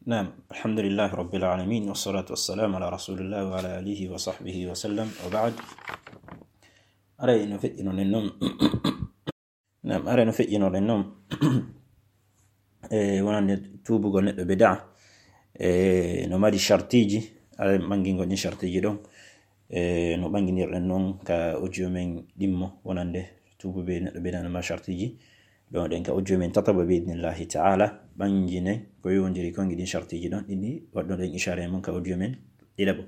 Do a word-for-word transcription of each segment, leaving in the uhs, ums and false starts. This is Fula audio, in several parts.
Naam, alhamdulillahi rabbil alamin, wassalatu wassalamu ala rasulillah wa ala alihi wa sahbihi wa sallam, wa ba'd. Aray no feƴƴinoɗen noon. Naam, aray no feƴƴinoɗen noon. E wonande tuubugol neɗɗo bida, e no mari shartiji, aray ɓangingol ɗin shartiji ɗon. E no ɓanginirɗen noon ka audio men ɗimmo wonande tuubuɓe neɗɗo bida no mari shartiji. Ɗon ɗen ka audio men tataɓo bi idnillahi ta'ala, ɓanginen ko yowondiri kon e ɗin shartiji ɗon, ɗin waɗɗoɗen ishara e mun ka audio men ɗiɗaɓo.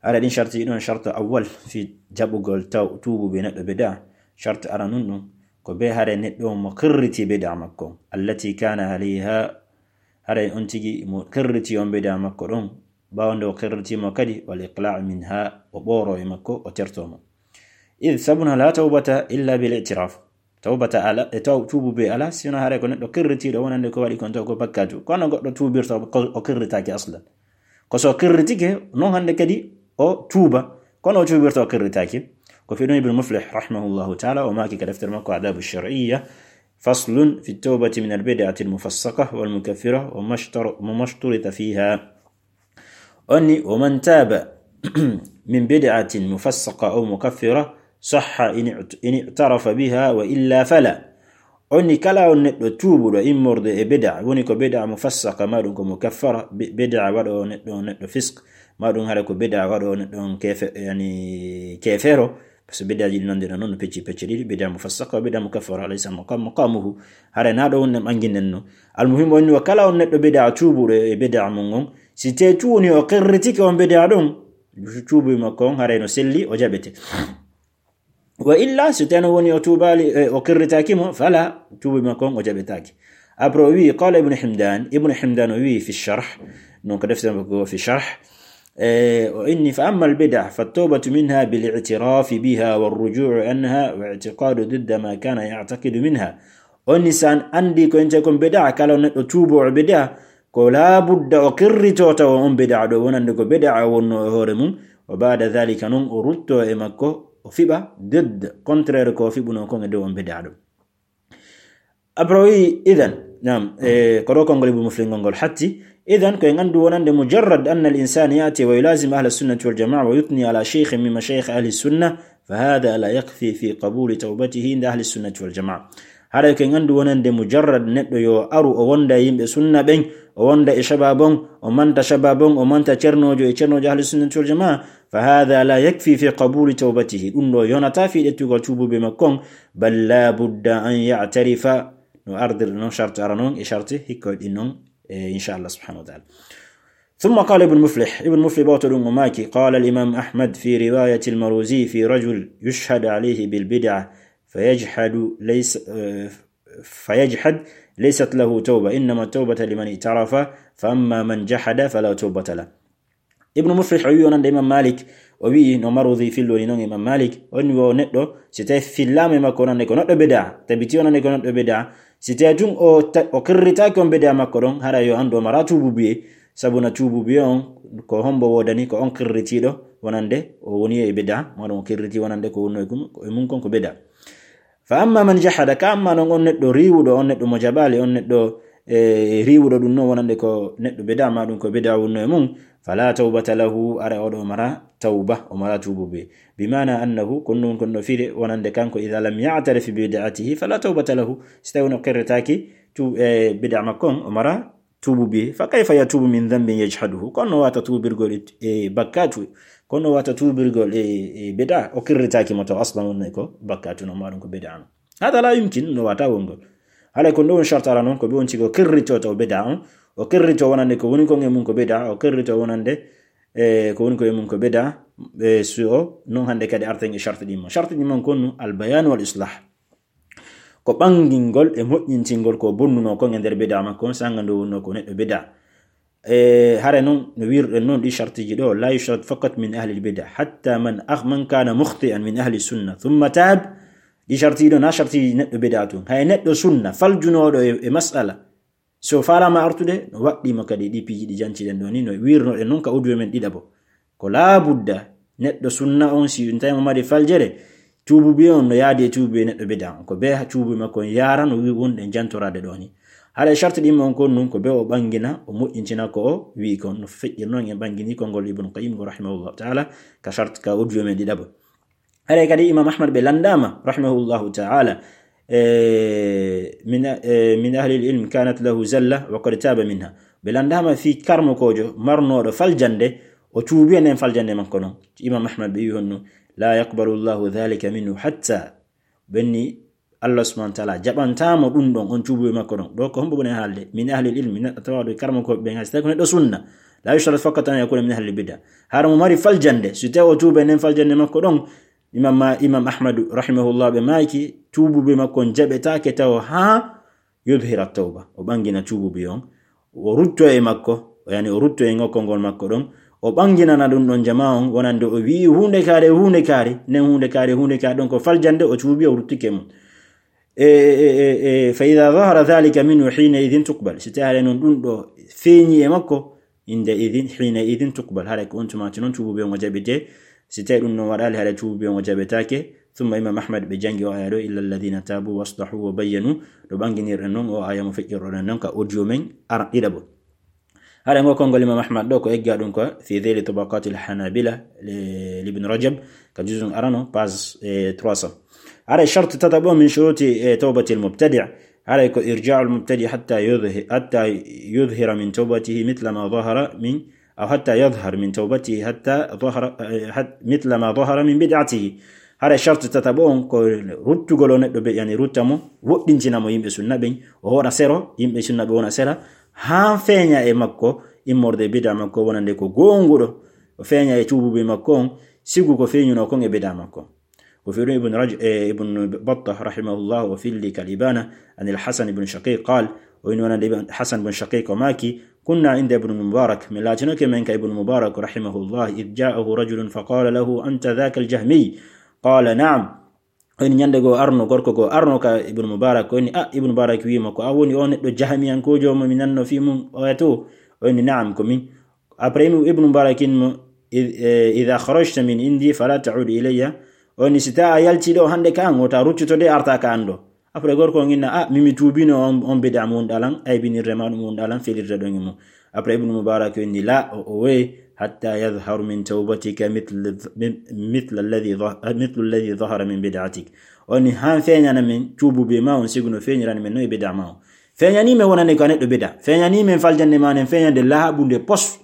Aray ɗin shartiji ɗon, shartu awwal fi jaɓugol taw-, tuubuɓe neɗɗo bida, shartu aranun ɗum, ko be haray neɗɗo on mo qirriti bida makko on, allati kana alayha, haray on tigi mo qirriti on bida makko ɗon, ɓaawo nde o qirriti mo kadi, wal iqla' minha, o ɓooro e makko, o terto mo. Id sabuna la tawbata illa bil i'tiraf. Tawbata ala, e taw-, tuubuɓe ala, sino haray ko neɗɗo qirritiiɗo wonande ko waɗi kon taw ko bakkatu. Kono goɗɗo tuubirta o, o qirritaaki aslan. Ko so qirritike, non hande kadi o tuuba. Kono o tuubirta o qirritaaki. Ko fii ɗum Ibn Muflih, rahimahullahu ta'ala, o maaki ka deftere makko Adabu Shar'iyya, faslun fi tawbati min al-bid'ati al-mufassaqa wal mukaffira wa mashtar-, wa mashturita fiha. O inni, wa man taba min bid'atin mufassaqa aw mukaffira sahha in i'tarafa biha wa illa fala. O inni kala on neɗɗo tuubuɗo immorde e bida, woni ko bida mufassaka, ma ɗum ko mukaffara, bi-, bida waɗo neɗɗo, neɗɗo fisk, ma ɗum hara ko bida waɗo neɗɗo on kefe-, yani kefero. Parce que bidaaji ɗi nondirɗen non no pecci pecce ɗiɗi, bida mufassaka, bida mukaffara, laysa maqa-, maqamuhu. Hara na ɗo wonde ɓanginden no. Almuhim o inni wa kala on neɗɗo bida tuubuɗo e bida mun on, si te tuuni o qirritike on bida ɗon, tuubu makko on haray no selli, o jaɓete. Wa illa, si teno woni o tuubaali, e, o qirritaaki mo, fala, tuubu makko on o jaɓetaaki. Après o wi, qala Ibn Himdan, Ibn Himdan o wi fi sharh, non ko defte makko fi sharh, e, o inni, fa amma al bid'a, fa tawbatu minha bil i'tirafi biha wa ruju'u anha wa i'tiqadu didda ma kana ya'taqidu minha. O inni san andi ko ente kon bid'a, kala neɗɗo tuubo o bid'a, ko laabudda o qirrito tawa on bid'a ɗo, wonande ko bid'a wonno e hoore mum, wa ba'da dhalika non o rutto e makko, o fiɓa didd, contraire ko o fiɓuno kon e dow on bid'a ɗo. Après o wi, idan, naam, e, ko ɗo konngol Ibn Muflih ngol ngol hatti. Idan ko en anndu wonande mujarrad anna al insana ya'ti wa yulazim ahla sunnati wal jama'a wa yuthni ala shaykhin min mashayikh ahli sunna, fa hadha la yakfi fi qabuli tawbatihi inda ahli sunnati wal jama'a. Haray ko en anndu wonande mujarrad neɗɗo yo aru o wonda e yimɓe sunna ɓen, o wonda e shabab on, o manta shabab on, o manta cernoojo e cernoojo ahli sunnati wal jama'a, fa hadha la yakfi fi qabuli tawbatihi. Ɗum ɗo yonata fi ƴettugol tuubuɓe makko on, bal la budda an ya'tarifa. No ardir non sharti ara non e sharti hikkoy ɗin non, e, inshallah subhanahu wa ta'ala. ثم قال ابن مفلح، Ibn Muflih ɓawto ɗum o maaki, قال الإمام أحمد في رواية المروزي في رجل يشهد عليه بالبدعة فيجحد ليس، آه، فيجحد ليست له توبة، إنما التوبة لمن اعترف، فأما من جحد فلا توبة له. Ibn Muflih o wi wonande Imam Malik, o wi no Marwazi fillori non Imam Malik, o wi wo neɗɗo, si tawi fillaama e makko wonande ko neɗɗo bida, tabiti wonande ko neɗɗo bida, si tawi tun o ta-, o qirritaaki on bida makko ɗon, hara yo anndu o mara tuububuye, sabu na tuububuye on ko hombo woodani, ko on qirritiiɗo wonande o woni e bida, ma ɗum o qirriti wonande ko wonno e kum-, e mum kon ko bida. Fa amma man jahada, ka amma non on neɗɗo riiwuɗo, on neɗɗo mo jaɓaali, on neɗɗo, e, riiwuɗo ɗum non wonande ko neɗɗo bida, ma ɗum ko bida wonno e mum, fala tawbata lahu, ara oɗo o mara tawba, o mara tuububuye. Bi maana annahu, kon non kon no firi wonande kanko, idha lam ya'tarif bi bid'atihi, fala tawbata lahu. Si tawi no qirritaaki tu-, e, bida makko on, o mara tuububuye. Fa kayfa yatubu min dhanbin yajhaduhu? Kono no wata tuubirgol e, e bakkatu, kono no wata tuubirgol e, e bida, o qirritaaki mo taw aslan wonno ko bakkatu no ma ɗum ko bida no. Hada la yumkin, no wata wongol. Haray ko ɗum shartara non ko ɓe on tigi o qirrito taw bida on, o qirrito wonande ko woni kon e mum ko bida, o qirrito wonande, e, ko woni ko e mum ko bida, e, so o non hande kadi arten e sharti ɗin mo. Sharti ɗin mo kon no al bayan wal islah. Ko ɓangingol e moƴƴintingol ko bonnuno kon e nder bida makko on, sanga nde wonno ko neɗɗo bida. E, hare non, no wirɗen non ɗi shartiji ɗo, la yushrat faqat min ahli al bida, hatta man akh-, man kana mukhti'an min ahli sunna, thumma tab. Ɗi shartiji ɗo na shartiji neɗɗo bida tun. Hay neɗɗo sunna, faljunoɗo e, e mas'ala. So faalama artude, no waɗɗimo kadi ɗi piiji ɗi jantiɗen ɗo ni, no wirnoɗen non ka audio men ɗiɗaɓo. Ko laabudda neɗɗo sunna on, si tawi mo mari faljere, tuububuye on no yaadi e tuububuye neɗɗo bida on. Ko be tuububuye makko on yaara no wi wonɗen jantoraade ɗo ni. Haray sharti ɗin mon kon nun ko be o ɓangina, o moƴƴintina ko o wi'i kon, no feƴƴir non en ɓangini konngol Ibn Qayyim go rahimahullahu ta'ala, ka sharti ka audio men ɗiɗaɓo. Haray kadi Imam Ahmad ɓe landaama rahimahullahu ta'ala, e, min, e, min ahli al-ilm kanat lahu zalla wa qad taba minha. Ɓe landaama fii karmokoojo marnooɗo faljande, o tuubi e nden faljande makko non. Imam Ahmad ɓe wi'i honno, la yaqbalu Allahu dhalika minhu hatta, ɓenni Allah subhanahu wa ta'ala jaɓantaamo ɗum ɗon, on tuubuɓe makko ɗon. Ɗo ko hombo woni haalde? Min ahli al-ilm, min tawaɗo karmokooɓe ɓen, hay si tawi ko neɗɗo sunna. La yushtaratu faqat an yakuna min ahli al-bid'a. Hara mo mari faljande, si tawi o tuubi e nden faljande makko ɗon, Imam Ma-, Imam Ahmadu rahimahullah ɓe maaki, tuubuɓe makko on jaɓetaake taw haa yudhira tawba. O ɓangina tuubuɓe on. O rutto e makko, yani o rutto e ngokkol ngol makko ɗon. O ɓanginana ɗum ɗon jamaa on, wonande o wi'i huunde kaare, huunde kaare, nden huunde kaare, huunde kaare ɗon ko faljande, o tuubi, o ruttike mum. E, e, e, e, fa idha dhahara dhalika minhu hina idhin tuqbal. Si tawi haray non ɗum ɗo feeñi e makko, inde idhin, hina idhin tuqbal. Haray ko on tuma non tuubuɓe on o jaɓete. Si tawi ɗum non waɗaali, haray tuubuɓe on o jaɓetaake. Thumma Imam Ahmad ɓe jangi o aya ɗo, illa alladhina tabu waslahu wa bayyanu. Ɗo ɓanginirɗen non o aya mo feƴƴirɗen non ka audio men ara ɗiɗaɓo. Haray ngo konngol Imam Ahmad ɗo ko egga ɗum ko fi dhili tabaqatil hanabila li, li Ibn Rajab ka juzun arano page, eh, trois cents. Haray sharti tataɓo min shuruti, eh, tawbatil mubtadi'. Haray ko irja'ul mubtadi' hatta yudhi-, hatta yudhira min tawbatihi mithla ma dhahara min, aw hatta yadhhar min tawbatihi hatta dhahara, eh, hat-, mithla ma dhahara min bid'atihi. Haray sharti tataɓo on ko ruttugol o neɗɗo be, yani rutta mo, woɗɗintina mo yimɓe sunna ɓen, o hoɗa sero, yimɓe sunna ɓe wona sera, haa feeña e makko immorde bid'a makko wonande ko goonguɗo, o feeña e tuubuɓe makko on, sigu ko feeñuno kon e bid'a makko. Ko fi ɗum Ibn Raj-, eh, Ibn Battah rahimahullah o filli kal Ibana anil Hasan ibn Shaqiq qal, o inni wonande Ibn Hasan ibn Shaqiq o maaki, kunna inda Ibn Mubarak, min laatinoke men ka Ibn Mubarak rahimahullah, idh ja'ahu rajulun faqala lahu, anta dhaka al-Jahmi? Qala, na'am. O inni ñande goo arno, gorko goo arno ka Ibn Mubarak, o inni, ah, Ibn Mubarak wi'i mo, ko a woni o neɗɗo jahamiyankoojo mo mi nanno fii mum oya to? O inni, na'am, ko min. Après, Ibn, Ibn Mubarak inni mo, id-, eh, idha kharajta min indi fala ta'ud ilayya. O inni, si tawi a yalti ɗo hande ka an, wota ruttito de arta ka an ɗo. Après, gorko on inna, ah, mi mi tuubino on, on bid'a mo wonɗa lan, aybinirde ma ɗum wonɗa lan, felirde ɗon e mum. Après, Ibn Mubarak inni, la, o, o we, hatta yadhharu min tawbatika mithl, mithl alladhi dhah-, mithl alladhi dhahara min bid'atik. O inni, han feeñana min tuubuɓe ma on sigu no feeñirani min no e bid'a ma on. Feeñani men wonande ko a neɗɗo bid'a. Feeñani men faljande ma nen, feeñande laaɓunde pos.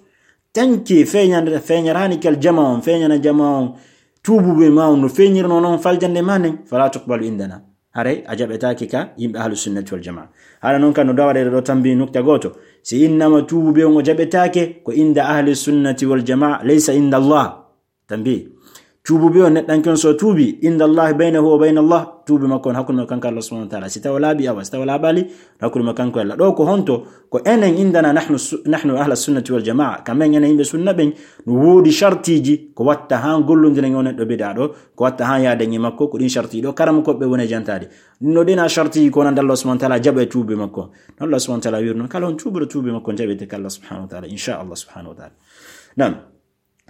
Tanki feeñande, feeñarani kal jama on, feeñana jama on, tuubuɓe ma on no feeñirno non faljande ma nen, fala tuqbalu indana. Haray a jaɓetaake ka yimɓe ahlu sunnati wal jamaa. Haray non kan no dawaɗe ɗo tambi nukta gooto. Si innama tuubuɓe on o jaɓetaake, ko inda ahli sunnati wal jamaa, laysa inda Allah. Tambi. Tuubuɓe on neɗɗanke on so tuubi, inda Allah baynahu wa bayna Allah, tuubi makko on hakkunde makko kanko Allah subhanahu wa ta'ala. Si tawa laaɓi awa, si tawa laaɓaali, hakkunde makko kanko Allah. Ɗo ko honto? Ko enen indana nahnu su-, nahnu ahla sunnati wal jamaa. Kamen enen yimɓe sunna ɓen, no woodi shartiiji ko watta han gollondiren e on neɗɗo bid'a ɗo, ko watta han yaaden e makko, ko ɗin shartiiji ɗo, karamokooɓe woni e jantaade. No ɗin a shartiiji ko wonande Allah subhanahu wa ta'ala jaɓa e tuubi makko. No Allah subhanahu wa ta'ala wirno, kala on tuubiro tuubi makko jaɓete ka Allah subhanahu wa ta'ala, insha Allah subhanahu wa ta'ala. Naam.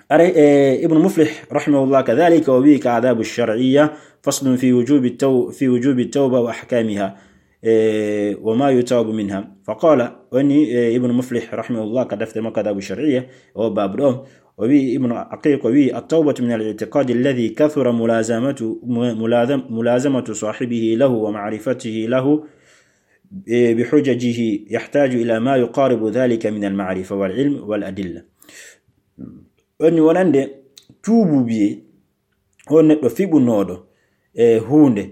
Are, eh, Ibn Muflih, rahimahullah, kadhalika, o wi'i ka adabu shar'iyya, faslun fi wujubi taw-, fi wujubi tawba wa ahkamiha, eh, wa ma yutabu minha. Faqala, woni, eh, Ibn Muflih, rahimahullah, ka defte makko adabu shar'iyya, o babu ɗo, o wi'i Ibn Aqiq, o wi'i, at-tawbatu min al-i'tiqadi alladhi kathura mulazamatu, mu-, mulazam-, mulazamatu sahibihi lahu wa ma'rifatihi lahu, eh, bi hujajihi yahtaju ila ma yuqaribu dhalika min al-ma'rifa wal ilm wal adilla. Woni wonande tuubu biyee on neɗɗo fiɓunooɗo e huunde,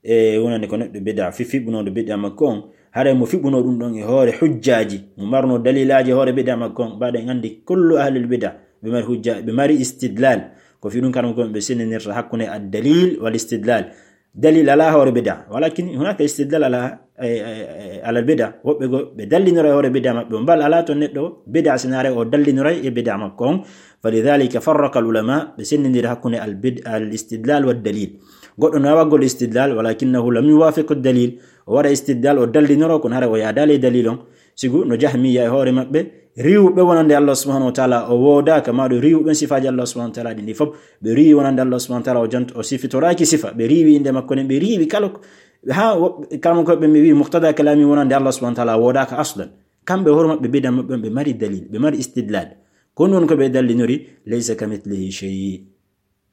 e wonande ko neɗɗo bid'a, fi-, fiɓunooɗo bid'a makko on, haray mo fiɓunoo ɗum ɗon e hoore hujjaaji, mo marno dalilaaji e hoore bid'a makko on, mbaɗen anndi kullu ahlil bid'a, ɓe mari hujja, ɓe mari istidlal. Ko fi ɗum kanko ɓe sendinirta hakkunde ad-dalil wal istidlal. Dalil alaa hoore bid'a. Walakin hunaka istidlal ala, eh, eh, eh, ala bid'a. Woɓɓe go, ɓe dallinora e hoore bid'a maɓɓe. Bal alaa to neɗɗo bid'a sinaare o dallinora e bid'a makko on. Falidhalika farraqa al ulama, ɓe sendindiri hakkunde al bid-, al istidlal wad dalil. Goɗɗo no wawa gol istidlal, walakinnahu lam yuwafiq ad dalil. O waɗa istidlal, o dallinora, kono hara o yaadaali e dalil on. Sigu no Jahmiya e hoore maɓɓe, riiwɓe wonande Allah subhanahu wa ta'ala o woodaaka, maa ɗo riiwɓe sifaaji Allah subhanahu wa ta'ala ɗin ɗi fof, ɓe riiwi wonande Allah subhanahu wa ta'ala o jant-, o sifitoraaki sifa, ɓe riiwi innde makko nden, ɓe riiwi kala ko, Ha woɓɓe, kama ko ɓe mi wi muqtada kalami wonande Allah subhanahu wa ta'ala woodaaka aslan. Kamɓe hoore maɓɓe bida maɓɓe on ɓe mari dalil, ɓe mari istidlal. Ko non ko ɓe dallinori, "Laysa kamithlihi shay."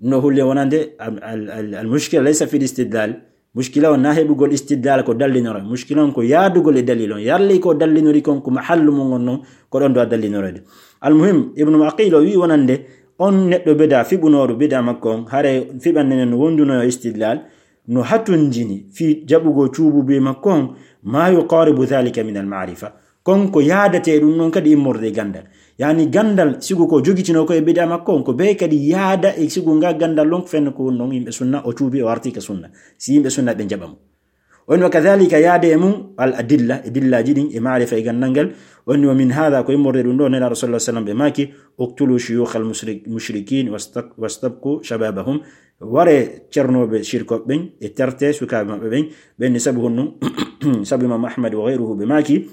No hulle wonande al, al, al, al mushkila laysa fil istidlal. Mushkila on na heɓugol istidlal ko dallinora. Mushkila on ko yaadugol e dalil on. Yarli ko dallinori kon ko mahallu mum on non, ko ɗon do a dallinorede. Al muhim, Ibnu Aqil o wi wonande on neɗɗo bida, fiɓunooɗo bida makko on, hare fiɓande nden no wonduno e istidlal, no hatonjini fi jaɓugol tuubuubu makko on, ma yuqaribu dhalika min al ma'rifa. Kon ko yaadate ɗum non kadi immorde e gandal. Yani gandal sigu ko jogitino ko e bida makko on, ko be kadi yaada e sigu nga gandal lon ko fenno ko woni non yimɓe sunna, o tuubi, o arti ka sunna. Si yimɓe sunna ɓe jaɓa mo. On wa kadhalika yaade e mum al adilla, e dillaji ɗin, e maarifa e gandal ngal. On wa min hadha, ko immorde ɗum ɗo, Nelaaɗo sallallahu alaihi wasallam ɓe maaki, "Uqtulu shuyukh al mushrik-, mushrikin wastab-, wastabqu shababahum." Ware cernooɓe shirkoɓe ɓen, e terte sukaaɓe maɓɓe ɓen, ɓen ni sabu honno, sabu Imam Ahmad wa ghayruhu ɓe maaki,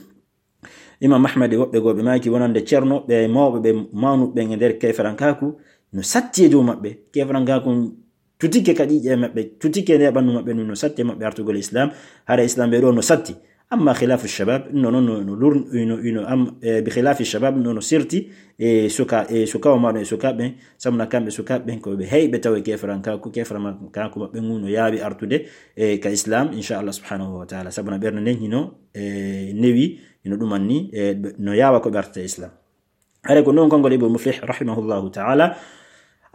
Imam Ahmad e woɓɓe goo ɓe maaki wonande cerno, ɓe mawɓe ɓe mawnuɓe ɓen e nder keferankaaku, no satti e dow maɓɓe. Keferankaaku tutike ka ƴiiƴe maɓɓe, tutike nde ɓandu maɓɓe, no satti e maɓɓe artugol Islam, hara Islam ɓe ɗo no satti. Amma khilafu shabab, no, no, no, no lur-, ino, ino, am, e, bi khilafi shabab, no, no sirti, e, suka, e, sukawo maɗo, e, sukaɓe, sabu na kamɓe sukaɓe ɓen ko ɓe heyɓe taw e keferankaaku, keferankaaku maɓɓe ngu no yaawi artude, e, ka Islam, insha Allah subhanahu wa ta'ala. Sabu na ɓernde nden hino, e, newi, hino ɗumanni, e, ɓe, no yaawa ko ɓe artata Islam. Hare ko non konngol Ibn Muflih rahimahullahu ta'ala.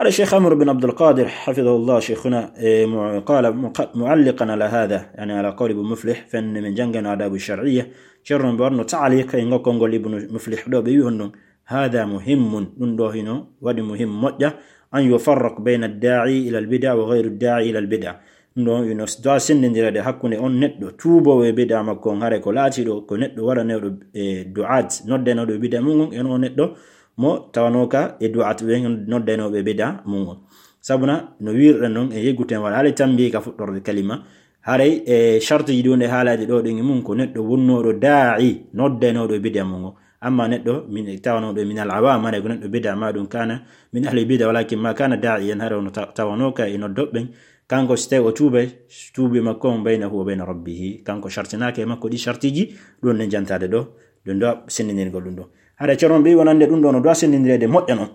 Hare Sheikh Amr bin Abdul Qadir, hafidahullah, sheikhuna, e, mu-, qala muqa-, mu'alliqan ala hadha, yani ala qawli Ibn Muflih, fenne min jangano adabu shar'iyya. Ceerno mbo warno ta'liq e ngol konngol Ibn Muflih ɗo, ɓe wi honno, "Hadha muhimmun", ɗum ɗo hino waɗi muhim moƴƴa, "an yufarraq bayna ad-da'i ila al-bid'a wa ghayru ad-da'i ila al-bid'a." Ɗum ɗo hino doit sendindirede hakkunde on neɗɗo tuubowo e bid'a makko on, hare ko laatiɗo ko neɗɗo waɗanewɗo e du'at, noddanewɗo e bid'a mum on, e on neɗɗo mo tawanooka e du'at ɓen noddanewɓe bid'a mum on. Sabuna no wirɗen non e yegguten wala haalay tambi ka fuɗɗorde kalima, haray e shartiji ɗi woni e haalaade ɗo ɗin e mum ko neɗɗo wonnooɗo daa'i, noddanooɗo e bid'a mum on. Amma neɗɗo min, tawanooɗo min al awam, haray ko neɗɗo bid'a, ma ɗum kana min ahli bid'a, walakin ma kana da'iyan, haray ono ta-, tawanooka e noddoɓe ɓen. Kanko si tawi o tuubay, tuubi makko on baynahu wa bayna rabbihi. Kanko shartinaaka e makko ɗi shartiji, ɗum ne jantaade ɗo, ɗum ɗo sendindirgol ɗum ɗo. Haray ceerno ɓe wonande ɗum ɗo no doit sendindireede moƴƴa non.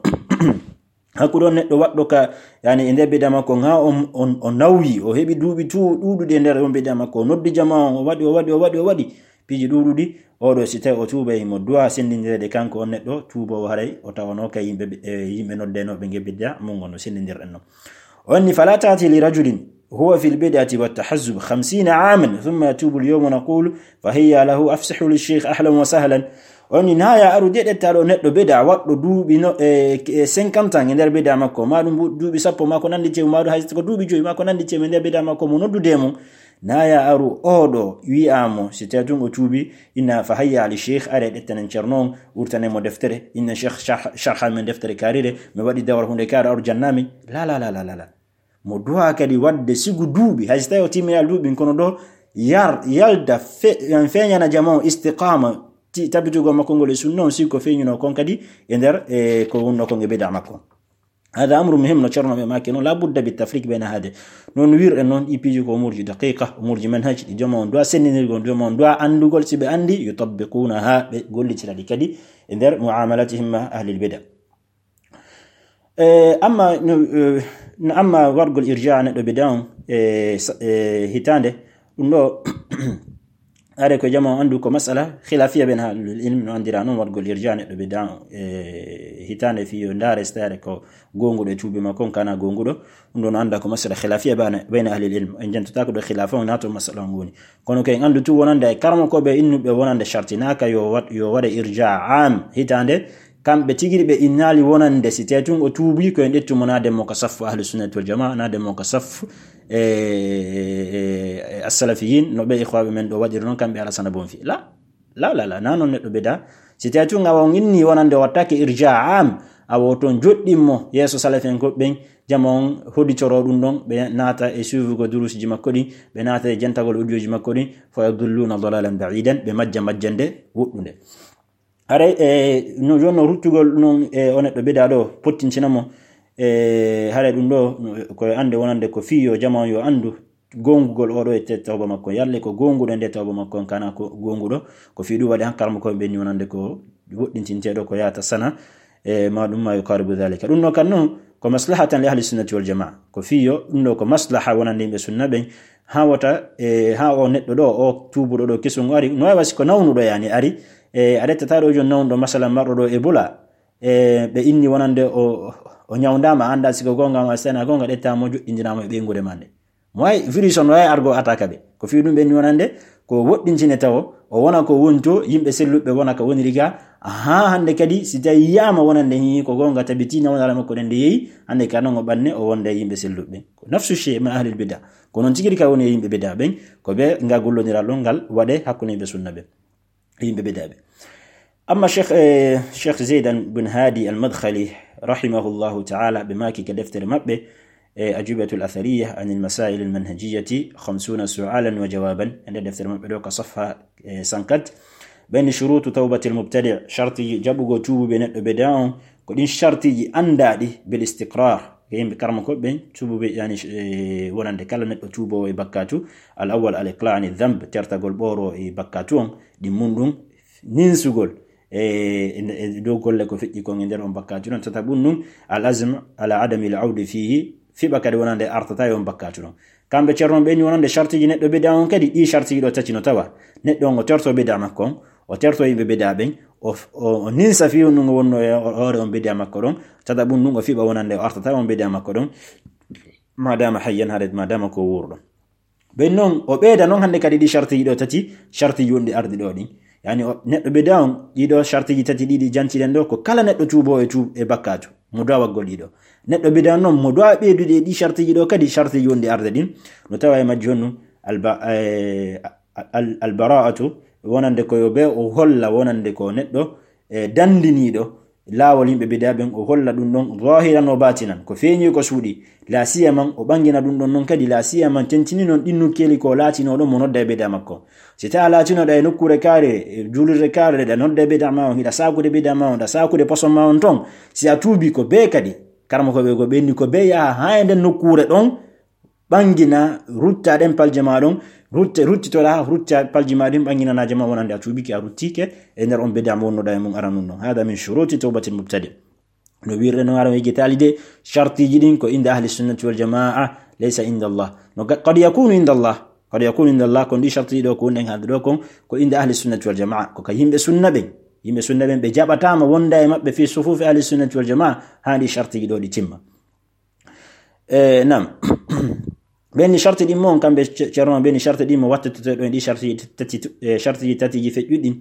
Hakkunde on neɗɗo waɗɗo ka, yani, e nder bid'a makko, ŋa on, on, o nawyi, o heɓi duuɓi tu-, ɗuuɗuɗi e nder on bid'a makko, o noddi jamaa on, o waɗi, o waɗi, o waɗi, o waɗi piiji ɗuuɗuɗi, oɗo si tawi o tuubay, himo du'a sendindireede kanko on neɗɗo tuuboowo, haray o tawanoo ka yimɓe, e, yimɓe noddenooɓe nge bid'a, mun on no sendindirɗen non. O inni, "Fala ta'ti li rajulin huwa fil bid'ati wat tahazzub khamsina aman, thumma yatubu al yawma naqulu, fa hayya lahu, afsihu li sheikh, ahlan wa sahlan." O inni, "Na ya aru de ɗetta ɗo neɗɗo bid'a waɗɗo duuɓi no, e, e cinquante ans e nder bid'a makko, ma ɗum bu-, duuɓi sappo, ma ko nandi tew, ma ɗum hay ko duuɓi joyi, ma ko nandi tew e nder bid'a makko, mo noddude e mum. Na ya aru oɗo wi'a mo, si tawi tun o tuubi, inna fa hayya ali sheikh, are ɗettanen ceerno on, wurtanen mo deftere, inna sheikh sharh-, sharhan men deftere karire, mi waɗi dawra hunde kare, aru jannami." La, la, la, la, la, la. Mo du'a kadi waɗde sigu duuɓi, hay si tawi o timminal duuɓi, kono ɗo yar, yalda fe-, yan feeñana jamaa on istiqama, ti-, tabitugol makko ngol e sunna on, sigu ko feeñuno kon kadi e nder, e ko wonno kon e bid'a makko. Hada amru muhim, no ceerno ɓe maaki non, la budda bi tafriq bayna hade. Non wirɗe non, ɗi piiji ko umuurji daqiqa, umuurji manhaj, ɗi jamaa on du'a sendindirgol, jamaa on du'a anndugol, si ɓe anndi, yutabbiqunaha, ɓe gollitira ɗi kadi e nder mu'amalatihim ma ahlil bid'a. E, amma no, e, no, amma wargol irja neɗɗo bid'a on, e, sa-, e, hitaande, ɗum ɗo, are ko jamaa on anndu ko masala khilafiya ben ahlul ilm no anndira non wargol irja neɗɗo bid'a on, e, hitaande fi yo ndaare si tawi ko goonguɗo e tuubi makko on kana goonguɗo, ɗum ɗo no annda ko masala khilafiya bana-, bayna ahlil ilm. En jantotaako ɗo khilafa on naato masala on woni. Kono ko en anndu tu wonande e karamokooɓe innuɓe wonande shartinaaka yo wa-, yo waɗe irja am hitaande, kamɓe tigi ɗi ɓe innaali wonande si tawi tun o tuubi ko en ƴettu mo naade mo ka saffu ahlu sunnati wal jamaa, naade mo ka saffu, e, e, e, e as-salafiyin, no ɓe ikhwaaɓe men ɗo waɗiri non kamɓe Alasana Bonfi. La, la, la, la, na non neɗɗo bida. Si tawi tun awa on inni wonande o wattake irja am, awa o ton joɗɗin mo yeeso salafen ko ɓen, jamaa on hoditoro ɗum ɗon, ɓe naata e suivugo durusiji makko ɗin, ɓe naata e jentagol audioji makko ɗin, fa yadulluna dalalan ba'idan, ɓe majja majjande woɗɗunde. Haray, e, no, jonno ruttugol non, e, o neɗɗo bida ɗo, pottintina mo, e, haray ɗum ɗo, no, ko e annde wonande ko fii yo jamaa on yo anndu, gongugol oɗo e te tawba makko, yalle ko gonguɗo nde tawba makko on kana ko gonguɗo. Ko fii ɗum waɗi han karmo ko ɓenni wonande ko woɗɗintinteɗo ko yaata sana e ma ɗum ma yuqaribu dhalika. Ɗum no kan non ko maslahatan li ahli sunnati wal jamaa. Ko fii yo ɗum ɗo ko maslaha wonande yimɓe sunna ɓen. Ha wota e ha o neɗɗo ɗo, o tuubuɗo ɗo kesun ari, no wawa si ko nawnuɗo yani ari, e a rettata ɗo jon nawnuɗo masalan marɗo ɗo e bula, e ɓe inni wonande o o ñawndama, anda si ko gonga ma sana gonga ɗetta mo joɗɗindinama e ɓeyngude ma nde. Mo wawi virus on wawi argo attaque ɓe. Ko fii ɗum ɓenni wonande ko woɗɗintine tawo o wona ko wonto yimɓe selluɓe wona ka woniri ga. Ha hande kadi si tawi yiyama wonande hi ko gonga tabiti nawdara makko ɗen nde yeeyi, hande ka non o ɓanne o wonda e yimɓe selluɓe. Ko nafsu shay ma ahlil bida. Ko non tigi ka woni e yimɓe bida ɓen, ko ɓe nga gollodiral ɗon ngal waɗe hakkunde yimɓe sunna ɓen. Yimɓe bida ɓe. Amma Cheikh, eh, Cheikh Zaydan bin Hadi al-Madkhali, rahimahullahu ta'ala, ɓe maaki ka deftere maɓɓe, eh, Ajubatul Athariya anil Masail al-Manhajiyati khamsuna su'alan wa jawaban. E nder deftere maɓɓe ɗo ka safha, eh, sankat. Ɓen shurutu tawbatil mubtadi', sharti jaɓugo tuubuɓe neɗɗo bida on, ko ɗin shartiji andaɗi bil istiqrar. Ko yimɓe karma ko ɓen tuubuɓe, yani, eh, wonande kala neɗɗo tuubowo e bakkatu. Al awwal al iqla' ani dhanb, tertagol ɓoro e bakkatu on, ɗin mun ɗum ninsugol e, e, e dow golle ko feƴƴi kon e nder on bakkatu ɗon. Tata ɓun ɗum, al azm ala adami al awdi fihi, fiɓa kadi wonande artata e on bakkatu ɗon. Kamɓe ceerno ɓe ni wonande shartiji neɗɗo bida on kadi, ɗi shartiji ɗo tati no tawa. Neɗɗo on o terto bida makko on, o terto yimɓe bida ɓen, o, o, o ninsa fi on ɗum o wonno e hoore on bida makko ɗon. Tata ɓun ɗum o fiɓa wonande o artata e on bida makko ɗon. Ma dama hayyan, haade ma dama ko wuurɗo. Ɓen non, o ɓeyda non hannde kadi ɗi shartiji ɗo tati, shartiji wonɗi ardi ɗo ɗin. Yani o, neɗɗo bida on, ɗiɗo shartiji tati ɗiɗi jantiɗen ɗo, ko kala neɗɗo tuubo e tuub e bakkatu, mo dawa waggol ɗiɗo. Neɗɗo bida on non, mo dawa ɓeydude e ɗi shartiji ɗo kadi, shartiji wonɗi arde ɗin. No tawa e majji honno, alba-, eh, al-, al-, albara'atu, wonande ko yo ɓe o holla wonande ko neɗɗo, eh, dandiniɗo, laawol yimɓe bida ɓen, o holla ɗum ɗon zahiran wa batinan, ko feeñi ko suuɗi. La siyaman, o ɓangina ɗum ɗon non kadi, la siyaman, tentini non ɗin nokkeeli ko laatinoɗo mo nodda e bida makko. Si tawa laatinoɗa e nokkuure kaare, e juulirde kaare, ɗa nodda e bida ma on, hiɗa saakude bida ma on, ɗa saakude poson ma on ton, si a tuubi ko bee kadi, karma ko ɓe ko ɓenni ko bee yaha haa e nden nokkuure ɗon, ɓangina, rutta ɗen palje ma ɗon, rutte, ruttitoɗa, rutta palje ma ɗin, ɓanginana jama wonande a tuubike, a ruttike e nder on bida mo wonnoɗa e mum aranun ɗon. Hada min shuruti tawbatil mubtadi. No wirre no ara wigi tali de, shartiji ɗin ko inda ahli sunnati wal jamaa, laysa inda Allah. No ga-, qad yakunu inda Allah, qad yakunu inda Allah, kon ɗi shartiji ɗo ko wonden haalde ɗo kon, ko inda ahli sunnati wal jamaa, ko ka yimɓe sunna ɓen. Yimɓe sunna ɓen ɓe jaɓatama wonda e maɓɓe fi sufufi ahli sunnati wal jamaa, haa ɗi shartiji ɗo ɗi timma. E, nam. Ɓen ni sharti ɗin mo on, kamɓe ce-, ceerno, ɓen ni sharti ɗin mo wattitoto ɗo e ɗi sharti tati, e, sharti tati ji feƴƴuɗi.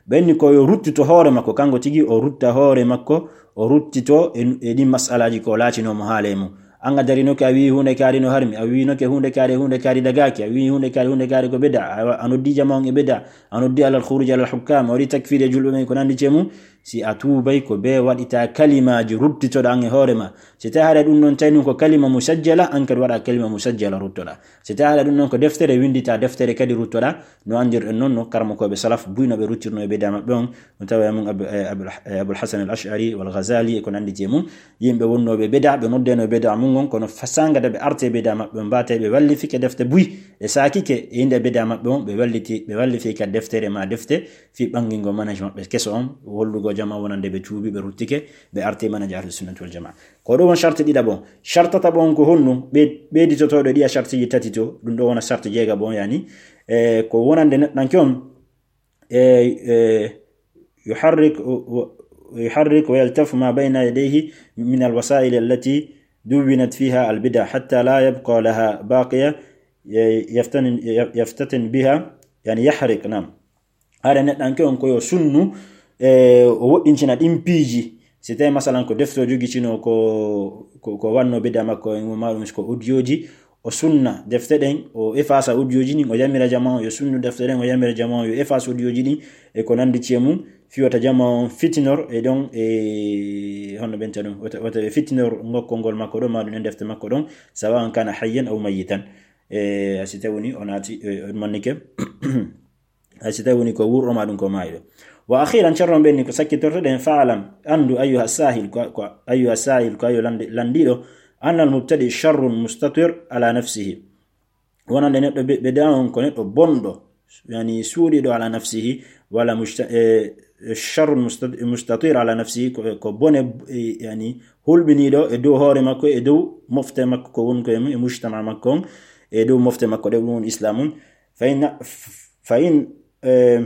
Ɓen ni ko yo ruttito hoore makko, kanko tigi o rutta hoore makko, o ruttito e, e ɗin masalaji ko laatino mo haale mum. An a darinoke a wii hunde kaari no harmi, a wiinoke hunde kaari, hunde kaari dagaki, a wii hunde kaari, hunde kaari ko bida, a, a noddi jama on e bida, a noddi alal khuruj alal hukam, a waɗi takfir e julɓe men ko nandi ce mum. Si a tuubay ko bee waɗita kalimaaji ruttitoɗa an e hoore ma. Si tawi haɗa ɗum ɗon tawi ɗum ko kalima musajjala, an kadi waɗa kalima musajjala ruttoɗa. Si tawi haɗa ɗum ɗon ko deftere, winndita deftere kadi ruttoɗa. No anndirɗen noon no karmokooɓe salaf buyno ɓe ruttirno e bida maɓɓe on. No tawa e mum Abu-, eh, Abul, eh, Abul Hasan al Ash'ari wal Ghazali e ko nanndi e mum. Yimɓe wonnooɓe bida, ɓe noddeno e bida mum on, kono fasaanga de ɓe arte e bida maɓɓe on, mbaate ɓe wallifike defte buy, ɓe saakike e innde bida maɓɓe on, ɓe walliti, ɓe wallifi ka deftere ma defte, fii ɓanngingo manhaj maɓɓe keso on, hollugo jama wonande ɓe tuubi, ɓe ruttike, ɓe arti manhaj Ahlu Sunnati wal Jamaa. Ko ɗum won sharti ɗiɗaɓo. Sharti tataɓo on ko honɗum? Ɓe-, ɓeyditotooɗo ɗiya shartiji tati to, ɗum ɗo wona sharti jeegaɓo on, yani, e, ko wonande neɗɗanke on, e, e, yuharrik, yuharrik wa yaltafu ma bayna yadayhi min al-wasa'il allati duwwinat fiha al-bid'a hatta la yabqa laha baqiya, e, yaftanin-, yaftatin biha, yani yahriq, naam. Haɗa neɗɗanke on ko yo sunnu, e, o woɗɗintina ɗin piiji. Si tawi, masalan, ko defte o jogitino ko, ko, ko wanno bida makko en, ma ɗum ko audioji, o sunna defte ɗen, o efasa audioji ɗin, o yamira jama on yo sunnu defte ɗen, o yamira jama on yo efasa audioji ɗin, e ko nandi ci e mum, fii wota jama on fitinor, e ɗon, e honno ɓenta ɗum, wota, wota ɓe fitinor ngokkol ngol makko ɗon, ma ɗum en defte makko ɗon, sawa an kana hayyan aw mayyitan. E, si tawi woni o naati, e, o mannike. Hay si tawi woni ko wuurɗo ma ɗum ko maayɗo. Wa akhiran, ceerno ɓen ni ko sakkitortoɗen, fa'lam, anndu, ayyuha sahil, ko, ko, ayyuha sahil, ko ayo lande-, landiɗo, annal mubtadi sharrun mustatir ala nafsihi. wonande neɗɗo be- bid'a on ko neɗɗo bonɗo, yani suuɗiɗo ala nafsihi, wala musta- e sharrun musta- mustatir ala nafsihi, ko, ko bone, e, yani hulɓiniɗo e dow hoore makko, e dow mofte makko ko woni ko e mujtama makko on, e dow mofte makko ɗe ɗum woni islam on. Fa in fa in e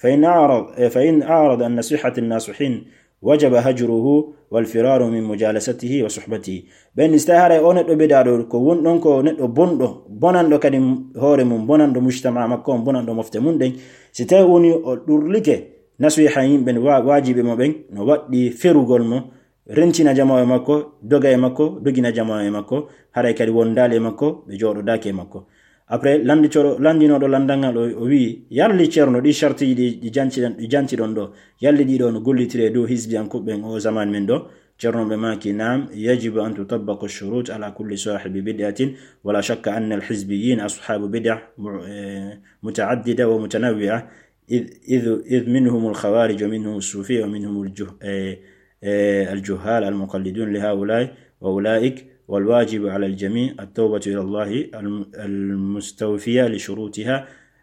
fa in arad e fa in arad an nasihati nasihin wajaba hajruhu wal firaru min mujalasatihi wa suhbatihi. Ɓen ni so tawi haray o neɗɗo bid'a ɗo ko won ɗon ko neɗɗo bonɗo, bonanɗo kadi hoore mum, bonanɗo mujtama makko on, bonanɗo mofte mum ɗen, si tawi woni o ɗurlike nasiha yimɓe, wa- wajiɓe mo ɓen, no waɗɗi ferugol mo, rentina jamaa e makko, doga e makko, dogina jamaa e makko, haray kadi wondaali e makko, ɓe jooɗodaaki e makko. Après, lannditoro- lanndinooɗo lanndal ngal o, o wi'i, yalli ceerno, ɗi sartiiji ɗi, ɗi jantiɗon, ɗi jantiɗon ɗo, yalli ɗi ɗo no gollitire dow hisbiyankooɓe ɓen o zaman men ɗo? Ceerno ɓe maaki, naam, yajibu an tutabbaqa shurut ala kulli sahibi bid'atin, wala shakka anna al hizbiyyin ashabu bid'a mu- eh, muta'addida wa mutanawwi'a, إذ, إذ, إذ منهم الخوارج ومنهم الصوفية ومنهم الجه- آه، آه، الجهال المقلدون لهؤلاء وأولئك، والواجب على الجميع التوبة إلى الله الم- المستوفية لشروطها،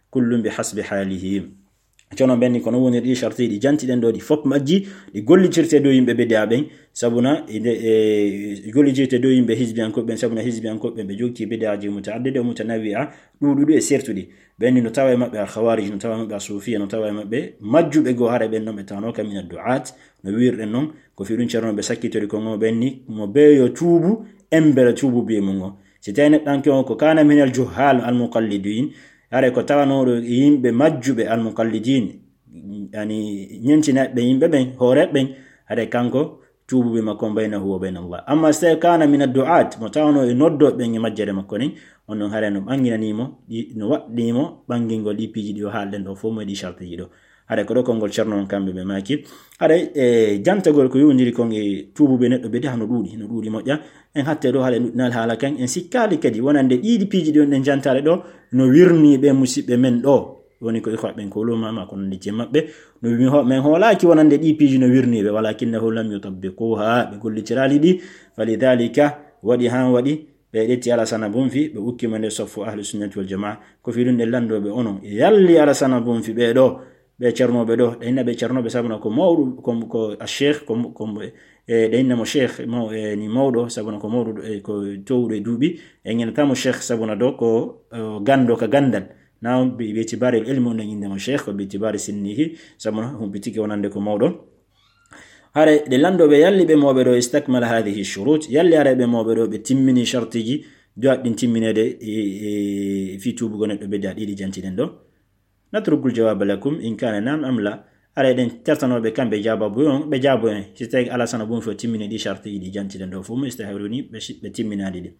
كل بحسب حاله. Ceerno ɓen ni ko no woni ɗi sarti ɗi jantiɗen ɗo, ɗi fof majji ɗi gollitirte dow yimɓe bid'a ɓen, sabuna inde e gollitirte dow yimɓe hisbiyankooɓe ɓen, sabuna hisbiyankooɓe ɓen ɓe jogiti bid'aji muta'addida e mutanawwi'a, ɗuuɗuɗi e sertuɗi. Ɓen ni no tawa e maɓɓe al khawarij, no tawa e maɓɓe al sufiya, no tawa e maɓɓe majjuɓe goo, hara ɓen non ɓe tawanooka min ad du'at, no wiirɗen non. Ko fii ɗum ceerno ɓe sakkitori ko ngo ɓen ni, mo beeyo tuubu, embere tuubu bee mum ngo. Si tawi neɗɗanke on ko kana min al juhal al muqallidin, hara ko tawanooɗo e yimɓe majjuɓe al muqallidin, yani ñentinaaɓe yimɓe ɓen, hooreeɓe ɓen, hara kanko tuubuɓe makko on baynahu wa bayna Allah. Amma si tawi kana min ad du'at, mo tawanoo e noddooɓe ɓen e majjere makko nin, on non hara no ɓanginanii mo, ɗi- no waɗɗii mo ɓangingol ɗi piiji ɗi o haalɗen ɗo fof mo e ɗi sartiiji ɗo. Haray ko ɗo konngol ceerno on kamɓe ɓe maaki. Haray e jantagol ko yowndiri kon e tuubuɓe neɗɗo bid'a no ɗuuɗi, no ɗuuɗi moƴƴa. En hatte ɗo haray ɗuɗɗinal haala kan, en sikkaali kadi wonande ɗiɗi piiji ɗi on ɗen jantaare ɗo no wirnii ɓe musiɓɓe men ɗo. Woni ko ikhwa ɓen ko ulama ma ko nandi jee maɓɓe. No mi ho- men hoolaaki wonande ɗi piiji no wirnii ɓe, walakinnahu lam yutabbiquha, ɓe gollitiraali ɗi. Falidhalika waɗi han waɗi ɓe ƴetti Alasana Bunfi, ɓe ukki mo nder soffu Ahlu Sunnati Wal Jamaa. Ko fii ɗum ɗen lanndooɓe onon, yalli Alasana Bunfi ɓee ɗoo, ɓe ceernooɓe ɗoo, ɗe inna ɓe ceernooɓe sabuna ko mawɗo, ko, ko a sheikh, ko, ko, e, ɗe inna mo sheikh, maw-, e, ni mawɗo, sabuna ko mawɗo, e, ko toowɗo e duuɓi, e ngenata mo sheikh sabuna ɗoo ko, e, ganndo ka ganndal. Na bi, bi itibari al ilmi, on ɗen innde mo sheikh, ko bi itibari sinnihi, sabuna humpitike wonande ko mawɗo. Haray ɗe lanndooɓe yalli ɓe mawɓe ɗoo, istakmala hadhihi shurut, yalli haray ɓe mawɓe ɗoo ɓe timmini shartiiji, duwaat ɗin timmineede e, e, fii tuubugo neɗɗo bid'a ɗiɗi jantiɗen ɗoo. Natrukul jawaba lakum in kana na'am am la. Haray ɗen tertanooɓe kamɓe jaababu on, ɓe jaabo en. Si tawi Alasana Bunfi o timmini ɗi shartiiji ɗi jantiɗen ɗoo fof, mo istahawri woni ɓe si-, ɓe timminaali ɗi.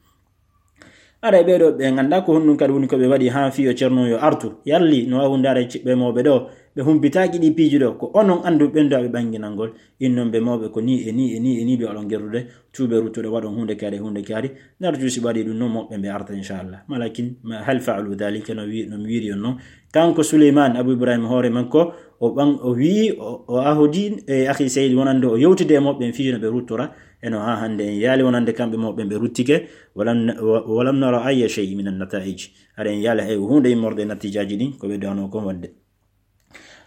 Haray ɓee ɗoo ɓe nganndaa ko honɗum kadi woni ko ɓe waɗi haa fii yo ceerno yo artu. Yalli no waawi hunde haray ciɓɓe mawɓe ɗoo, ɓe humpitaaki ɗi piiji ɗoo, ko onon annduɓe ɓen duwaa ɓe ɓannginangol. Innon ɓe mawɓe ko nii e nii e nii e nii duwaa ɗon gerdude, tuuɓe ruttude waɗon huunde kaari, huunde kaari. Narju si ɓe waɗi ɗum non moɓɓe ɓe arta inchallah. Walakin ma hal fa'alu dhalika, no wi-, no mi wiiri on non. Kanko Suleyman Abu Ibrahim hoore makko, o ɓan-, o wi'i, o, o ahodi e akhi Sayyid wonande o yewtide e moɓɓe fii no ɓe ruttora. E no haa hannde en yaali wonande kamɓe mawɓe ɓe ruttike, walam, wa-, walam nara ayya shay'in min an-nata'ij. Haray en yaali hay huunde immorde e nattiijaaji ɗin, ko ɓe duwanoo kon waɗde.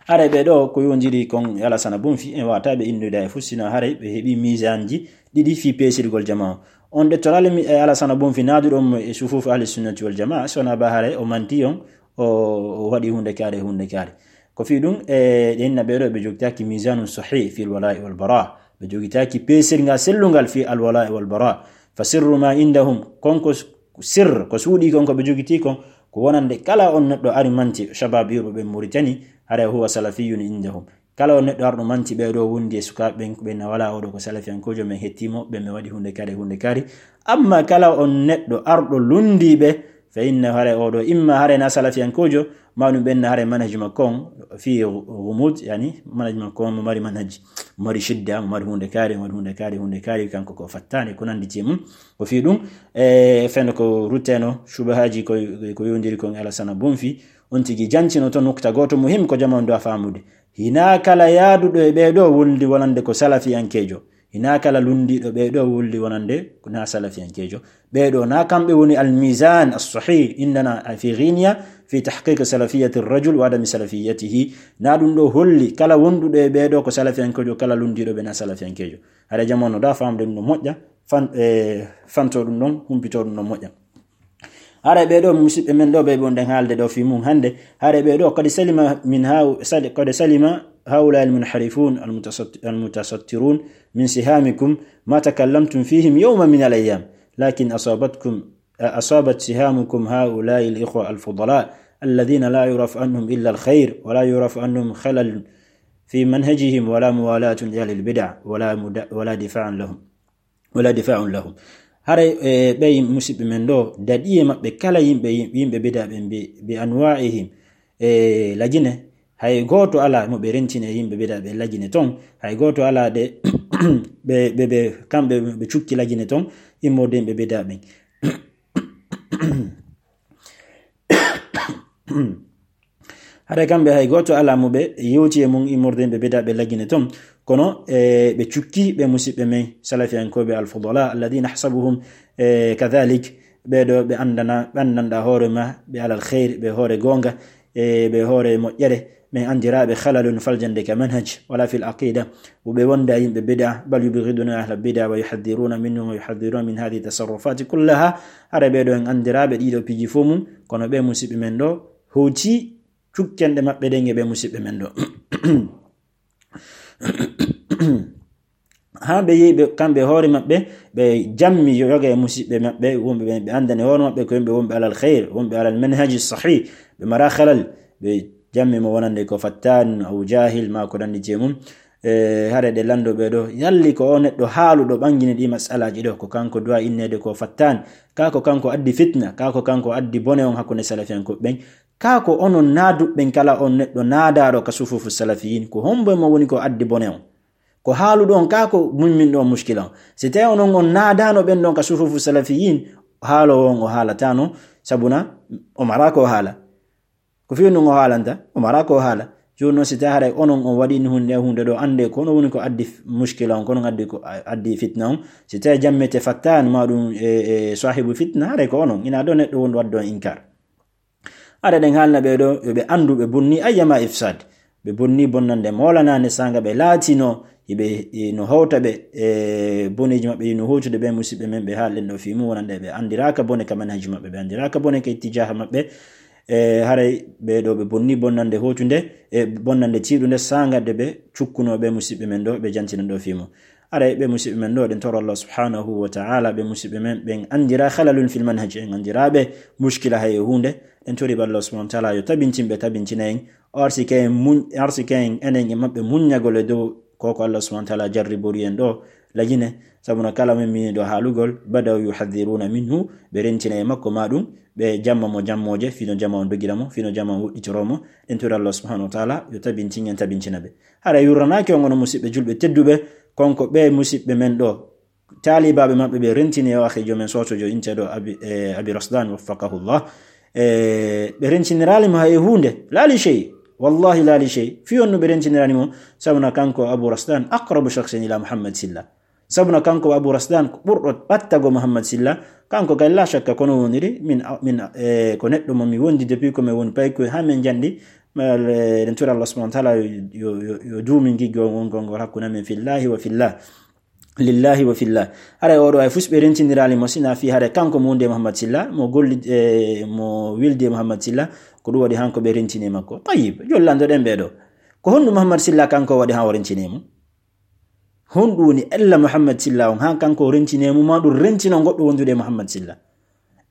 Haray ɓee ɗoo ko yowndiri kon e Alasana Bunfi, en waawataa ɓe inndude e fof, sino haray ɓe heɓii miisaanji ɗiɗi fii peesirgol jamaa. On ɗettoraali mi-, e Alasana Bunfi naaduɗo mo e sufuufu Ahli Sunnati Wal Jamaa, so wonaa ba haray o manti on, o, o waɗi huunde kaari, huunde kaari. Ko fii ɗum, e, ɗe inna ɓee ɗoo ɓe jogitaaki miisaanun sahih fil wala'i wal bara. Ɓe jogitaaki peesirngal sellungal fii al wala'i wal bara. Fa sirru ma indahum, kon ko s-, sirr, ko suuɗii kon, ko ɓe jogitii kon, ko wonande kala on neɗɗo ari manti, shabab yurɓe ɓe Muritani, haray huwa salafiyun indahum. Kala on neɗɗo arɗo manti ɓee ɗoo wondi e sukaaɓe ɓen, ɓen na wala oo ɗoo ko salafiyankoojo, men hetti mo, ɓen mi waɗi huunde kaari, huunde kaari. Amma kala on neɗɗo arɗo lunndii ɓe, fa inna haray oo ɗoo, imma haray na salafiyankoojo, ma ɗum ɓen na haray manhaj makko on, fii ghumud, yani manhaj makko on mo mari manhaj, mo mari shidda, mo mari huunde kaari, mo mari huunde kaari, huunde kaari, kanko ko fattaani, ko nanndi e mum. Ko fii ɗum, e, fenndo ko rutteno, shubahaaji ko, ko yowndiri kon e Alasana Bunfi, on tigi jantino to nukta gooto muhim ko jamaa on duwaa faamude. Hinaa kala yaaduɗo e ɓee ɗoo wondi wonande ko salafiyankeejo. Hinaa kala lunndiiɗo ɓee ɗoo wulli wonande na salafiyankeejo. Ɓee ɗoo na kamɓe woni almizan as-sahih indana fi ghiniya fi tahqiq salafiyati rajul wa adami salafiyatihi. Na ɗum ɗo holli kala wonduɗo e ɓee ɗoo ko salafiyankeejo, kala lunndiiɗo ɓe na salafiyankeejo. Hara jamanu da famde ɗum no moƴƴa, fan-, e, fanto ɗum ɗon, humpito ɗum no moƴƴa. Hara ɓee ɗoo musiɓɓe men ɗoo ɓe wonɗen haalde ɗoo fii mum hannde. Hara ɓee ɗoo qad salima min hau-, sal-, qad salima haula al-munharifun al-mutasat-, al-mutasattirun min sihamikum ma takallamtum fihim yawman min al-ayyam. Lakin asabatkum, asabat sihamukum haula al-ikhwa al-fudala alladhina la yurafu anhum illa al-khair wa la yurafu anhum khalal fi manhajihim wala muwalatun li ahli al-bid'a wala muda-, wala difa'an lahum. Wala difa'un lahum. Haray, e, ɓe musiɓɓe men ɗoo, daɗi e maɓɓe kala yimɓe, yimɓe bida ɓen bi, bi anwa'ihim, e, lajine. Hay gooto alaa mo ɓe rentini e yimɓe bida ɓe lajine ton. Hay gooto alaa de ɓe, ɓe, ɓe, kamɓe ɓe cukki lajine ton, immorde yimɓe bida ɓen. Haray kamɓe hay gooto alaa mo ɓe yewti e mum immorde ɓe bida ɓe lagine ton. Kono, e, ɓe cukki ɓe musiɓɓe men salafiyankooɓe al-fudala, alladhina ahsabuhum, e, kadhalik, ɓee ɗoo ɓe anndana, ɓe anndanɗa hoore ma, ɓe alal khayr, ɓe hoore goonga, e, ɓe hoore moƴƴere, men anndiraaɓe khalalun faljande ka manhaj, wala fil aqida, wo ɓe wonda yimɓe bid'a, bal yubghiduna ahla bid'a wa yuhadhdhiruna minhum wa yuhadhdhiruna min hadhihi tasarrufati kullaha. Hara ɓee ɗoo en anndiraaɓe ɗiɗo piiji fof mum, kono ɓe musiɓɓe men ɗoo hewti cukkenɗe maɓɓe ɗen e ɓe musiɓɓe men ɗoo. Haa ɓe yehi ɓe, kamɓe hoore maɓɓe, ɓe jammi yo-, yoga e musiɓɓe maɓɓe, wonɓe ɓe, ɓe anndani hoore maɓɓe ko yimɓe wonɓe alal khayr, wonɓe alal manhaji sahih, ɓe mara khalal, ɓe jammi mo wonande ko fattan, aw jahil, ma ko nanndi e mum. E, hare ɗe lanndo ɓee ɗoo, yalli ko o neɗɗo haaluɗo ɓangini ɗi masalaaji ɗoo, ko kanko duwa inneede ko fattan, kaa ko kanko addi fitna, kaa ko kanko addi bone on hakkunde salafiyankooɓe ɓen, kaa ko onon naaduɓe ɓen kala on neɗɗo naadaaɗo ka sufufu salafiyin, ko hombo e mo woni ko addi bone on? Ko haaluɗo on kaa ko mummin ɗo muskila on? Si tawi onon on naadaano ɓen ɗon ka sufufu salafiyin, haaloowo on o haalataano, sabuna o mara ko haala. Ko fii ɗum o haalanta, o mara ko haala. Jooni noon, si tawii haray onon on waɗi ni huunde, huunde ɗo, annde ko onon woni ko addi f-, muskila on, ko onon addi ko, a-, addi fitna on. Si tawii jammete fattan ma ɗum e, e saahibu fitna, haray ko onon. Ina ɗo neɗɗo wonɗo waɗde on inkar. Haray ɗen haalna ɓee ɗo, yo ɓe anndu ɓe bonni ayyama ifsad. Ɓe bonni bonnande moolanaande saanga ɓe laatino, hiɓe, e, no howta ɓe, e, boneeji maɓɓe, no howtude ɓe musiɓɓe men ɓe haalɗen ɗo fii mum, wonande ɓe anndiraaka bone ka manhaji maɓɓe, ɓe anndiraaka bone ka ittijaaha maɓɓe. E, haray ɓee ɗo ɓe bonni bonnande hootunde, e bonnande tiiɗunde saanga de ɓe cukkunoo ɓe musiɓɓe men ɗo, ɓe jantina ɗo fii mum. Haray ɓe musiɓɓe men ɗo, ɗen toro Allah subhanahu wa ta'ala, ɓe musiɓɓe men, ɓen anndira khalalun fil manhaj, en anndiraaɓe muskila hay e huunde. Ɗen tori ɓe Allah subhanahu wa ta'ala yo tabintin ɓe, tabintina en. O arsike en muñ-, arsike en enen e maɓɓe muññagol e dow ko ko Allah subhanahu wa ta'ala jarribori en ɗo, lajine, sabuna kala men mini ɗo haalugol, badaw yuhadhiruna minhu, ɓe rentina e makko ma ɗum, ɓe jamma mo jammooje, fino jamma on dogira mo, fino jamma on woɗɗitoro mo. Ɗen tori Allah subhanahu wa ta'ala yo tabintin en, tabintina ɓe. Hara yurranaaki on, onon musiɓɓe julɓe tedduɓe, kon ko ɓe musiɓɓe men ɗo, taalibaaɓe maɓɓe ɓe rentini e o akhi jomen sootojo inteɗo Abi, e, Abi Rasdan, waffaqahullah. E, ɓe rentiniraali mo hay e huunde, laa li shay, wallahi laa li shay. Fii honɗum ɓe rentiniraali mo? Sabuna kanko Abu Rasdan aqrabu shakhsin ila Muhammad Silla. Sabuna kanko Abu Rasdan ko ɓurɗo ɓattago Muhammad Silla. Kanko kay laa shakka kono woniri, min, min, e, ko neɗɗo mo mi wondi depuis ko mi woni paykoy haa min njanɗi. Mal, e, ɗen tori Allah subhanahu wa ta'ala yo, yo, yo, yo duumin giggol ngol, ngol, ngol hakkunde men fillahi wa fillah. Lillahi wa fillah. Haray oɗo hay fus ɓe rentiniraali mo, sina fii haray kanko mo wondi e Muhammad Silla, mo golli, e, mo wildi e Muhammad Silla, ko ɗum waɗi hanko ɓe rentini e makko. Tayyib, jollandoɗen ɓee ɗo. Ko honɗum Muhammad Silla kanko waɗi haa o rentini e mum? Honɗum woni ella Muhammad Silla on haa kanko o rentini e mum, ma ɗum rentino goɗɗo wondude e Muhammad Silla?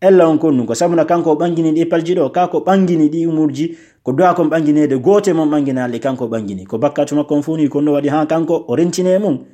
Ella on kon ɗum ko sabuna kanko o ɓangini ɗi palji ɗo, ka ko ɓangini ɗi umurji, ko duwa kon ɓangineede goote mon ɓanginaali kanko o ɓangini. Ko bakkatu makko on fof ni kon no waɗi haa kanko o rentini e mum.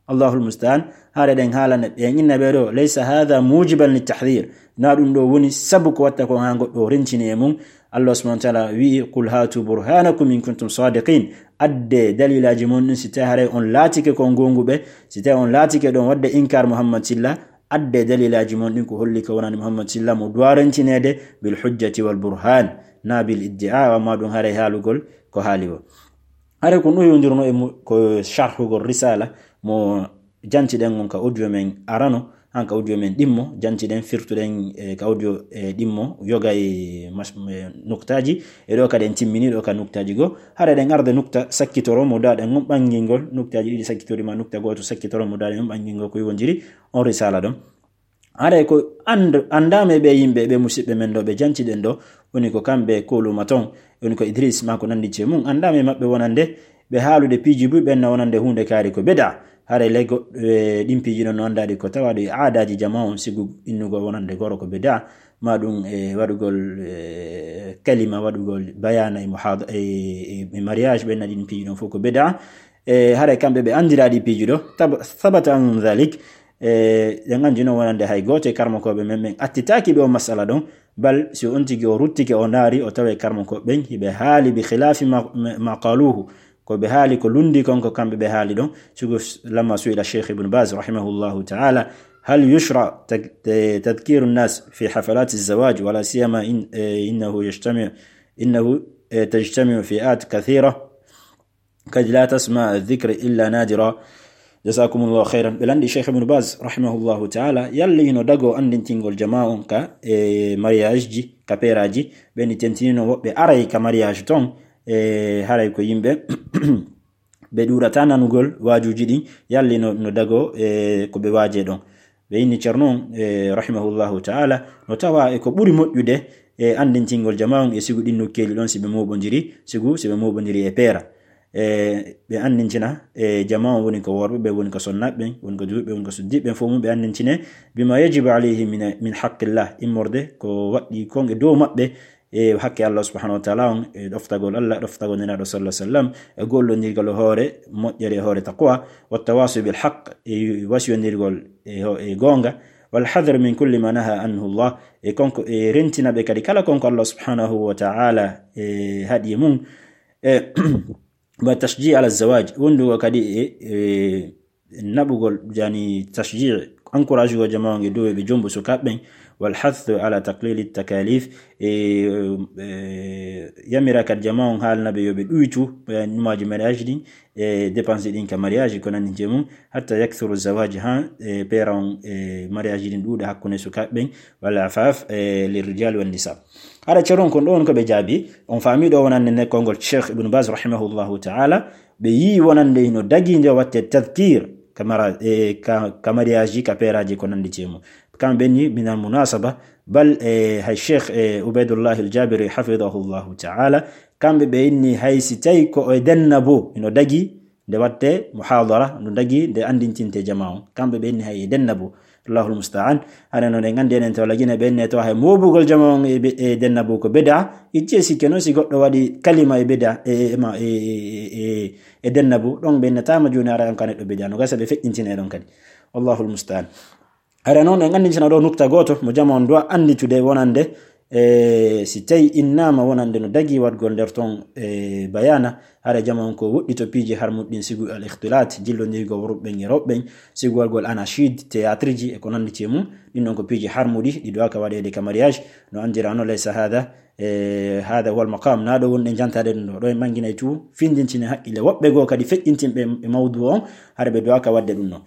Allahul musta'an. Haare ɗen haalana ɓe, en inna ɓe ɗo, laysa hadha mujiban li tahdhir. Na ɗum ɗo woni sabu ko watta kon haa goɗɗo o rencini e mum. Allah subhanahu wa ta'ala wi'i, "Qul hatu burhanakum in kuntum sadiqin." Adde dalilaaji mon ɗin si tawi haray on laatike kon goonguɓe, si tawi on laatike ɗon waɗde inkar Muhammad Silla, adde dalilaaji mon ɗin ko holli ko wonani Muhammad Silla mo duwa rencineede bil hujjati wal burhan, na bil iddi'a, amma ɗum haray haalugol ko haali o. Haray ko ɗum yondirno e mu-, ko sharhugol risala mo jantiɗen on ka audio men arano, han ka audio men ɗimmo, jantiɗen firtuɗen, e, ka audio, e, ɗimmo, yoga e mas-, e, nuktaaji, e ɗo kadi en timmini ɗo ka nuktaaji goo. Hara eɗen arda nukta sakkitoro mo daaɗen on ɓangingol, nuktaaji ɗiɗi sakkitori ma nukta gooto sakkitoro mo daaɗen on ɓangingol ko yowondiri on risala ɗon. Haray ko and-, anndaama e ɓe yimɓe, ɓe musiɓɓe men ɗo, ɓe jantiɗen ɗo, woni ko kamɓe kooluma ton, woni ko Idris ma ko nanndi e mum, anndaama e maɓɓe wonande ɓe haalude piiji buy ɓen na wonande huunde kaari ko bida. Haray le go-, e ɗin piiji ɗon no anndaɗi ko tawaaɗo e aadaaji jamaa on, sigu innugol wonande goro ko bida, ma ɗum e waɗugol, e, kalima, waɗugol bayaana e muhaada-, e, e, e mariage, ɓen na ɗin piiji ɗon fof ko bida. E, haray kamɓe ɓe anndiraɗi piiji ɗo, tab-, sabata an dhalik, e, ɗen anndi noon wonande hay gooto e karmakooɓe men, men attitaaki ɗo masala ɗon, bal si on tigi o ruttike o ndaari, o tawa e karmakooɓe ɓen, hiɓe haali bi khilafi ma, ma, ma qaluhu, ko ɓe haali ko lundi kon ko kamɓe ɓe haali ɗon, sigu s-, lamma su'ila Cheikh Ibn Baz rahimahullahu ta'ala, hal yushra tak-, eh, tadhkiru nnas fi hafalati zawaj, wala siyama in, eh, innahu yajtami, innahu, eh, tajtamiu fi'at kathira, kad la tasma dhikr illa nadira. Jazakumullahu khairan. Ɓe lanndi Cheikh Ibn Baz rahimahullahu ta'ala, yalla hino dago anndintingol jamaa on ka, e, mariage ji, ka peeraaji, ɓe ni tentinino woɓɓe aray ka mariage ton, e, haray ko yimɓe ɓe ɗuuɗata nanugol waajuuji ɗin, yalla no, no dago, e, ko ɓe waaje ɗon. Ɓe inni Ceerno on, e, rahimahullahu ta'ala, no tawa e ko ɓuri moƴƴude e anndintingol jamaa on e sigu ɗin nokkeeli ɗon si ɓe mooɓondiri, sigu si ɓe mooɓondiri e peera. E, ɓe anndintina, e, jamaa on woni ko worɓe, ɓe woni ko sonnaaɓe ɓen, woni ko juulɓe, woni ko suddiiɓe ɓen, fof mum ɓe anndintine, bima yajibu alayhi min, min haqqillah, immorde ko waɗɗi kon e dow maɓɓe, e haqqe Allah subhanahu wa ta'ala on, e ɗoftagol Allah, ɗoftagol Nelaaɗo sallallahu alaihi wasallam, e gollondirgol e hoore moƴƴere, e hoore taqwa, wa tawasi bil haqq, e wasiyondirgol e ho-, e goonga, wal hadr min kulli ma naha anhu Allah, e konko, e rentina ɓe kadi kala konko Allah subhanahu wa ta'ala, e haɗi e mum, e, wa tashji' ala zawaj, wondugo kadi e, e naɓugol, yani tashji', encourage go jamaa on e dow e ɓe jombo sukaaɓe ɓen, wal hathu ala taqlili takalif, e, e, yamira kadi jamaa on haalna ɓe yo ɓe ɗuytu, e, numaaji mariage ɗin, e, dépense ɗin ka mariage ko nanndi e mum, hatta yakthuru zawaj, ha, e, peera on, e, mariage ɗin ɗuuɗa hakkunde sukaaɓe ɓen, wal afaf, e, lirrijal wan nisa. Hara Ceerno on kon ɗo woni ko ɓe jaabi, on faami ɗo wonande ne konngol Cheikh Ibn Baz rahimahullahu ta'ala, ɓe yii wonande hino dagii nde watte tadhkir ka mara-, e, ka, ka mariage, ka peeraaji ko nanndi e mum. Kamɓe ni minal munasaba, bal, e, hay Cheikh, e, Ubaydullah al-Jabiri hafidahullahu ta'ala, kamɓe ɓe inni hay si tawi ko e denna bo hino dagii, nde watte muhadara, no dagii nde anndintinte jamaa on. Kamɓe ɓe inni hay e denna bo. Allahul musta'an. Hara no ɗen anndi enen to Lagine ɓe inni to hay moobugol jamaa on e be-, e denna bo ko bida. Ijje sikke noon si goɗɗo waɗi kalima e bida, e, e, ma, e, e, e, e denna bo. Ɗon ɓe innataama jooni hara on ka neɗɗo bida. No gasa ɓe feƴƴintine ɗon kadi. Allahul musta'an. Hara noon en anndintina ɗo nukta gooto mo jamaa on duwa annditude wonande, e, si tawi innaama wonande no dagii waɗgol nder ton, e, bayaana, hara jamaa on ko woɗɗito piiji harmuɗi ɗin sigu al ikhtilat, jillondirgol worɓe ɓen e rewɓe ɓen, sigu waɗgol anachid, théâtre ji e ko nanndi e mum, ɗin ɗon ko piiji harmuɗi, ɗi duwaaka waɗeede ka mariage, no anndirano laysa hada, e, hada huwa al maqam, na ɗo wonɗen jantaade ɗum ɗo, ɗo en ɓanginay tu, findintine haqqille woɓɓe goo kadi feƴƴintinɓe e mawdu on, hara ɓe duwaaka waɗde ɗum ɗon.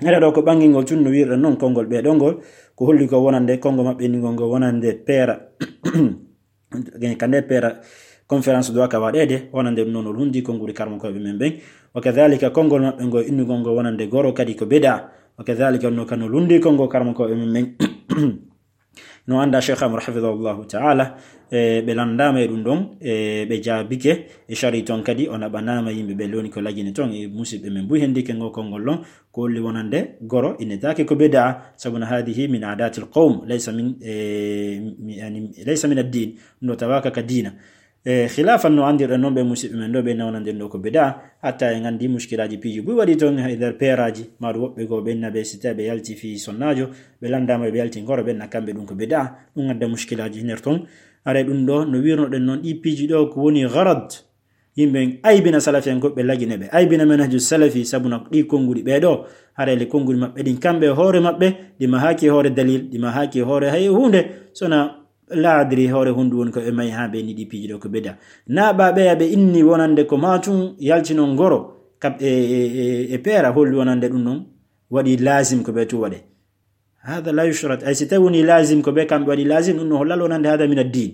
Hara ɗo ko ɓangingol tun no wiirɗen noon konngol ɓee ɗo ngol, ko holli ko wonande konngo maɓɓe innugol ngol wonande peera. Ka nde peera conférence duwaaka waɗeede, wonande ɗum noon o lundi konnguli karmakooɓe men ɓen. Wa kadhalika konngol maɓɓe ngol innugol ngol wonande goro kadi ko bida. Wa kadhalika no kano lundi konngol karmakooɓe men ɓen. No annda Cheikh Amr hafidahullahu ta'ala, e, ɓe lanndaama e ɗum ɗon, e, ɓe jaabike, e shari toon kadi o naɓanaama yimɓe ɓe loni ko Lagine toon, e musiɓɓe men buy hendike ngo konngol ɗon, ko holli wonande goro, innetaake ko bida, sabu no hadihi min aadatil qawm, laysa min, e, mi, yani, laysa min ad-din, no tawaaka ka diina. E, khilafan no anndirɗen noon ɓe musiɓɓe men ɗo, ɓe nawnande ɗo ko bida, hatta en anndi muskilaaji piiji buy waɗi toon e nder peeraaji, maa ɗum woɓɓe goo ɓen na ɓe si tawi ɓe yalti fii sonnaajo, ɓe lanndaama ɓe yalti ngoro, ɓen na kamɓe ɗum ko bida, ɗum adda muskilaaji nder toon. Haray ɗum ɗo no wirnoɗen noon ɗi piiji ɗo ko woni gharad, yimɓe aybina salafi en goɗɓe Lagine ɓe, aybina manhaju salafi, sabu na ɗi konnguɗi ɓee ɗo, haray le konnguɗi maɓɓe ɗin kamɓe e hoore maɓɓe, ɗi mahaaki e hoore dalil, ɗi mahaaki e hoore hay huunde, sona laadri hoore huunde woni ko ɓe mayi haa ɓe ni ɗi piiji ɗo ko bida. Na ɓa ɓeya ɓe inni wonande ko maa tun yaltino ngoro, kab e, e, e, e peera holli wonande ɗum noon waɗi lazim ko ɓe tu waɗe. Hada la yushrat. Ay si tawi woni lazim ko ɓe kamɓe waɗi lazim, ɗum no hollal wonande hada min ad-din.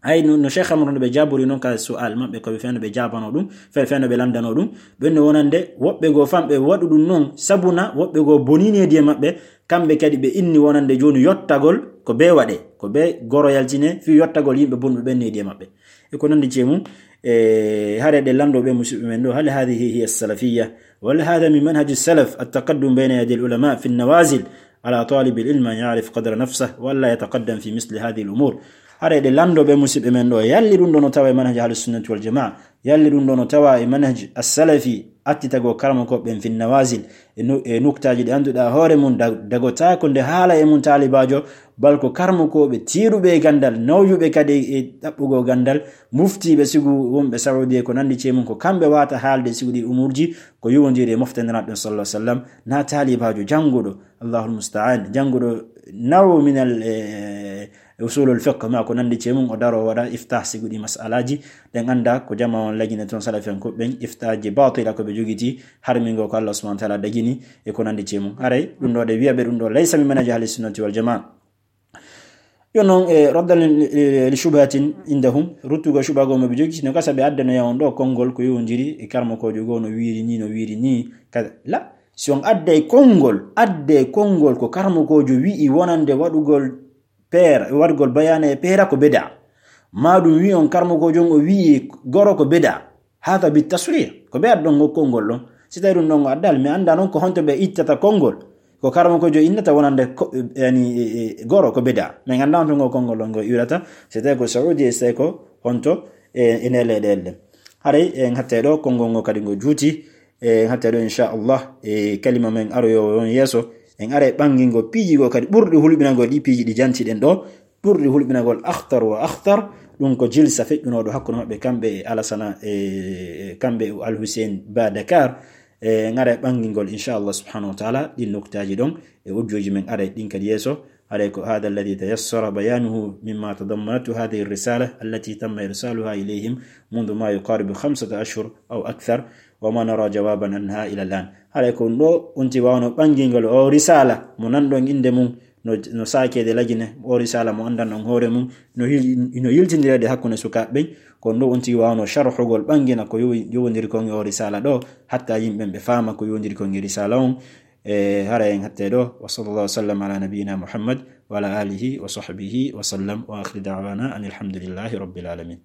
Ay no, no Cheikh Amru no ɓe jaabori noon ka su'al maɓɓe ko ɓe feno ɓe jaabano ɗum, fe-, feno ɓe landano ɗum. Ɓen no wonande woɓɓe goo famɓe waɗu ɗum noon, sabuna woɓɓe goo bonini e diye maɓɓe, kamɓe kadi ɓe inni wonande jooni yottagol ko ɓe waɗe, ko ɓe goro yaltine fii yottagol yimɓe bonɓe ɓen e diye maɓɓe. E ko nandi cee mum, e hare ɗe lando ɓe musidɓe men ɗo, hal hadihi hiya salafiyya? Wal hada min manhaji salaf at-taqaddum bayna yadi al-ulama fi an-nawazil ala talib al-ilm an ya'rif qadra nafsah wa alla yataqaddam fi misli hadhihi al-umur. Hare ɗe lando ɓe musidɓe men ɗo, yalli ɗum ɗo no tawa e manhaji ahli sunnati wal jamaa, yalli ɗum ɗo no tawa e manhaji as-salafi, attitago karmo ko ɓen fi an-nawazil, e nu-, e nuktaaji ɗi annduɗaa hoore mum, da-, dagotaako nde haala e mum taalibaajo, bal ko karmokooɓe tiiɗuɓe e ganndal, nawjuɓe kadi e ɗaɓɓugol ganndal, muftiiɓe sigu wonɓe Saudi e ko nanndi cee mum, ko kamɓe waata haalde sigu ɗi umuurji, ko yowondiri e mofte Nelaaɗo ɗon sallallahu alaihi wasallam, na taalibaajo jannguɗo, Allahul musta'an, jannguɗo nawo minal, e, e usulul fiqh, ma ko nanndi cee mum, o daro waɗa iftah sigu ɗi mas'alaaji, ɗen annda ko jama on lagine toon salafiyankoɓe ɓen, iftahji batila ko ɓe jogiti, harmingo ko Allah subhanahu wa ta'ala dagini, e ko nanndi cee mum. Haray ɗum ɗo ɗe wi'a ɓe ɗum ɗo laysa min manhaji ahli sunnati wal jamaa. Yo non, e, raddan li, li, li shubhatin indahum, ruttugo shubha goo mo ɓe jogi, no gasa ɓe addanoya on ɗo konngol ko yowondiri e karmokoojo goo no wiiri ni, no wiiri ni, kaza. La, si on adday konngol, adde konngol ko karmokoojo wi'i wonande waɗugol peera, waɗugol bayaana e peera ko bida. Ma ɗum wi'i on karmokoojo on o wi'i goro ko bida. Hada bi tasrih. Ko ɓe addon ngol konngol ɗon. Si tawi ɗum ɗon o addaali, mi annda non ko honto ɓe ittata konngol. Ko karmokoojo innata wonande ko, yani, e, e, goro ko bida. Min annda honto ngol konngol ɗon ngol iwrata. Si tawi ko Saudi, si tawi ko honto, e, e nele ɗe elle. Haray en hatte ɗo konngol ngol kadi ngol juuti. E, en hatte ɗo inchallah. E, kalima men aroyo on yeeso. En aray ɓanngingol piiji goo kadi ɓurɗi hulɓinangol ɗi piiji ɗi jantiɗen ɗo. Ɓurɗi hulɓinagol akhtar wa akhtar, ɗum ko jilsa feƴƴunooɗo hakkunde maɓɓe kamɓe e Alasana, e, e kamɓe e Al Hussein Ba Dakar. E, en ara e ɓanngingol, inchallah subhanahu wa ta'ala, ɗin nuktaaji ɗon e audiooji men, ara e ɗin kadi yeeso. Haray ko hada alladhi tayassara bayanuhu mimma tadammanathu hadhihi ar-risala allati tamma irsaluha ilayhim منذ ما يقارب خمسة أشهر أو أكثر، وما نرى جوابا عنها إلى الآن. Haray ko ɗum ɗo on tigi waawno ɓanngingol o risala mo nanɗon innde mum, no, no saakeede lagine, o risala mo anndanɗon hoore mum, no hil-, no yiltindireede hakkunde sukaaɓe ɓen. Ko ɗum ɗo on tigi waawno sharhugol ɓanngina ko yowi-, yowondiri kon e o risala ɗo, hatta yimɓe ɓen ɓe faama ko yowondiri kon e risala on. E, haray en hatte ɗo. Wa sallallahu wa sallam ala nabiyyina Muhammad wa ala alihi wa sahbihi wa sallam. Wa akhiru da'wana anil hamdulillahi rabbil alamin.